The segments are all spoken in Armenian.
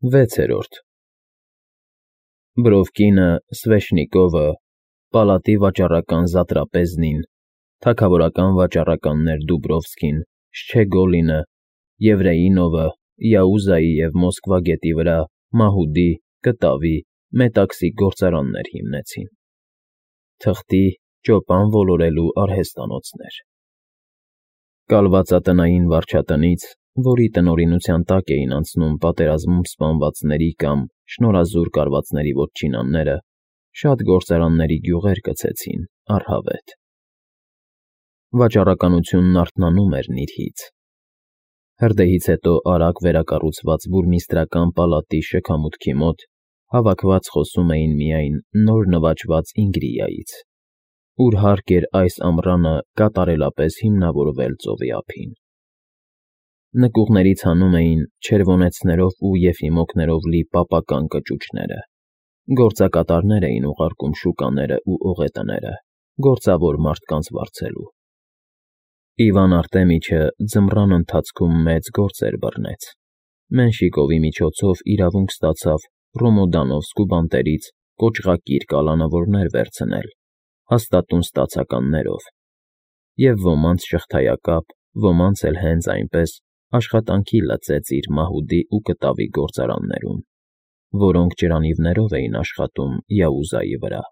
6-րդ Բրովկինը, Սվեշնիկովը, պալատի վաճառական Զատրապեզնին, թագավորական վաճառականներ Դուբրովսկին, Շչեգոլինը, Եվրեինովը, Յաուզայի և Մոսկվա գետի վրա մահուդի, կտավի, մետաքսի գործարաններ հիմնեցին, թղթի, ճոպան ոլորելու արհեստանոցներ։ Կալվածատնային վարչատնից, որի տնօրինության տակ էին անցնում պատերազմում սպանվածների կամ շնորհազուր կարվածների որջինանները, շատ գործարանների գյուղեր կցեցին առհավետ։ Վաճառականությունն արթնանում էր նիրհից։ Հրդեհից հետո արագ վերակառուցված բուրմիստրական պալատի շքամուտքի մոտ հավաքված խոսում էին միայն նոր նվաճված Ինգրիայից, ուր հարկ էր այս ամռանը կատարելապես հիմնավորվել ծովի ափին։ Նկուղներից հանում էին չերվոնեցներով ու եֆիմոկներով լի պապական կճուճները, գործակատարներ էին ուղարկում շուկաները ու օղետները, գործավոր մարդկանց վարձելու։ Իվան Արտեմիչը ձմռան ընթացքում մեծ գործեր բռնեց, Մենշիկովի միջոցով իրավունք ստացավ Ռոմոդանովսկ ու բանտերից կոճղակիր կալանավորներ վերցնել, հաստատուն ստացականներով, և ոմանց շղթայակապ, ոմանց էլ հենց այնպես աշխատանքի լծեց իր մահուդի ու կտավի գործարաններում, որոնք ջրանիվներով էին աշխատում Յաուզայի վրա։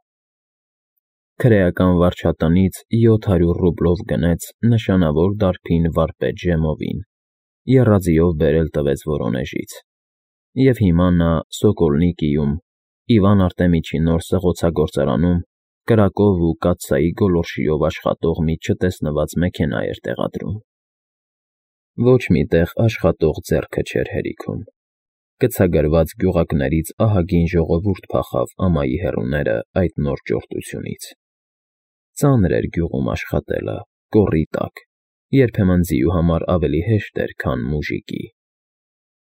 Քրեական վարչատնից 700 ռուբլով գնեց նշանավոր դարբին վարպետ Ժեմովին, եռաձիով բերել տվեց Վորոնեժից, և հիմա նա Սոկոլնիկիում, Իվան Արտեմիչի նոր սղոցագործարանում կրակով ու կաթսայի գոլորշիով աշխատող մի չտեսնված մեքենա էր տեղադրում։ Ոչ մի տեղ աշխատող ձեռքը չէր հերիքում։ Կցագրված գյուղակներից ահագին ժողովուրդ փախավ ամայի հեռուները այդ նոր ճորտությունից։ Ծանր էր գյուղում աշխատելը, կոռի տակ, երբեմն ձիու համար ավելի հեշտ էր, քան մուժիկի։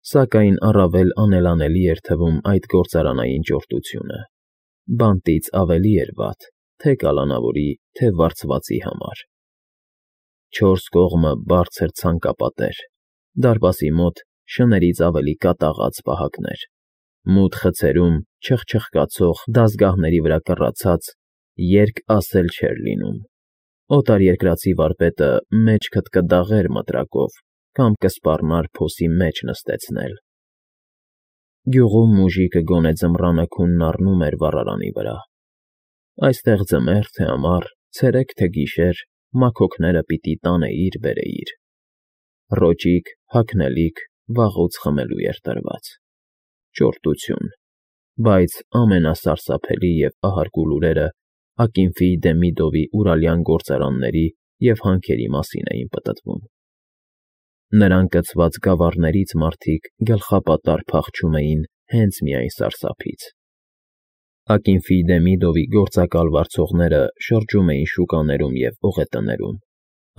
Սակայն առավել անելանելի էր թվում այդ գործարանային ճորտությունը, բանտից ավելի էր վատ, թե կալանավորի, թե վարձվածի համար։ 4 կողմը բարձր ցանկապատեր, դարպասի մոտ շներից ավելի կատաղած պահակներ, մութ խցերում չխչխկացող դազգահների վրա կռացած, երկ ասել չէր լինում։ Օտարերկրացի վարպետը մեջքդ կդաղեր մտրակով կամ կսպառնար փոսի մեջ նստեցնել։ Գյուղում մուժիկը գոնե ձմռանը քունն առնում էր վառարանի վրա։ Այստեղ ձմեռ թե ամառ, ցերեկ թե գիշեր մաքոքները պիտի տանեիր֊բերեիր։ Ռոճիկ, հագնելիք վաղուց խմելու էր տրված։ Ճորտություն, բայց ամենասարսափելի և ահարկու լուրերը Ակինֆի Դեմիդովի ուրալյան գործարանների և հանքերի մասին էին պտտվում։ Նրան կցված գավառներից մարդիկ գլխապատառ փախչում էին հենց միայն սարսափից։ Ակինֆի Դեմիդովի գործակալ վարձողները շրջում էին շուկաներում և օղետներում,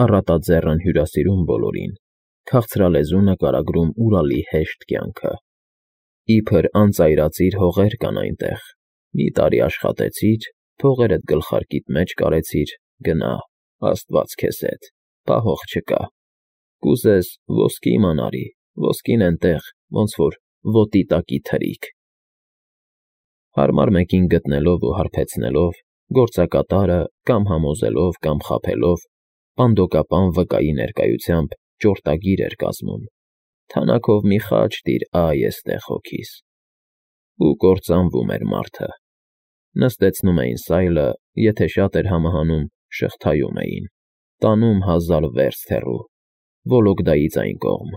առատաձեռն հյուրասիրում բոլորին, քաղցրալեզու նկարագրում Урալի հեշտ կյանքը։ Իբր անծայրածիր հողեր կան այնտեղ, մի տարի աշխատեցիր, փողերդ գլխարկիդ մեջ կարեցիր, գնա, աստված քեզ հետ, պահող չկա, կուզես ոսկի մանարի, ոսկին էնտեղ, ոնց որ ոտի տակի թրիկ։ Հարմար մեկին գտնելով ու հարբեցնելով, գործակատարը կամ համոզելով, կամ խաբելով, պանդոկապան վկայի ներկայությամբ ճորտագիր էր կազմում. թանաքով մի խաչ տիր էստեղ հոգիս։ Ու կործանվում էր մարդը։ Նստեցնում էին սայլը, եթե շատ էր համահանում, շղթայում էին, տանում 1000 վերստ հեռու, Վոլոգդայից այն կողմ,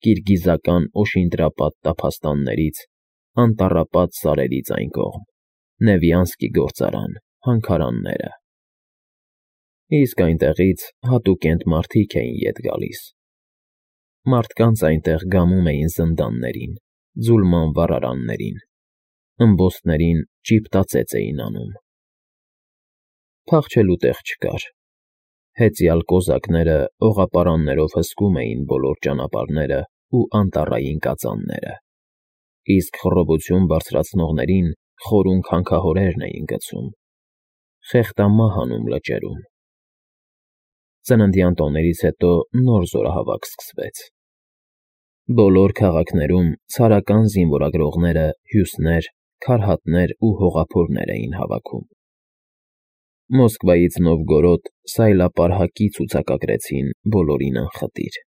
կիրգիզական օշինդրապատ տափաստաններից, անտառապատ սարերից այն կողմ, Նևյանսկի գործարան, հանքարանները։ Իսկ այնտեղից հատուկենտ մարդիկ էին ետ գալիս։ Մարդկանց այնտեղ գամում էին զնդաններին, ձուլման վառարաններին, ըմբոստներին ճիպտածեց էին անում։ Փախչելու տեղ չկար։ Հեծյալ կոզակները օղապարաններով հսկում էին բոլոր ճանապարհները ու անտառային կածանները, իսկ խռովություն բարձրացնողներին խորուն քանքահորերն էին գցում, խեղդամահ անում լճերում։ Ծննդյան տոներից հետո նոր զորահավաք սկսվեց։ Բոլոր քաղաքներում ցարական զինվորագրողները հյուսներ, քարհատներ ու հողափորներ էին հավաքում։ Մոսկվայից Նովգորոդ սայլապարհակի ցուցակագրեցին բոլորին անխտիր։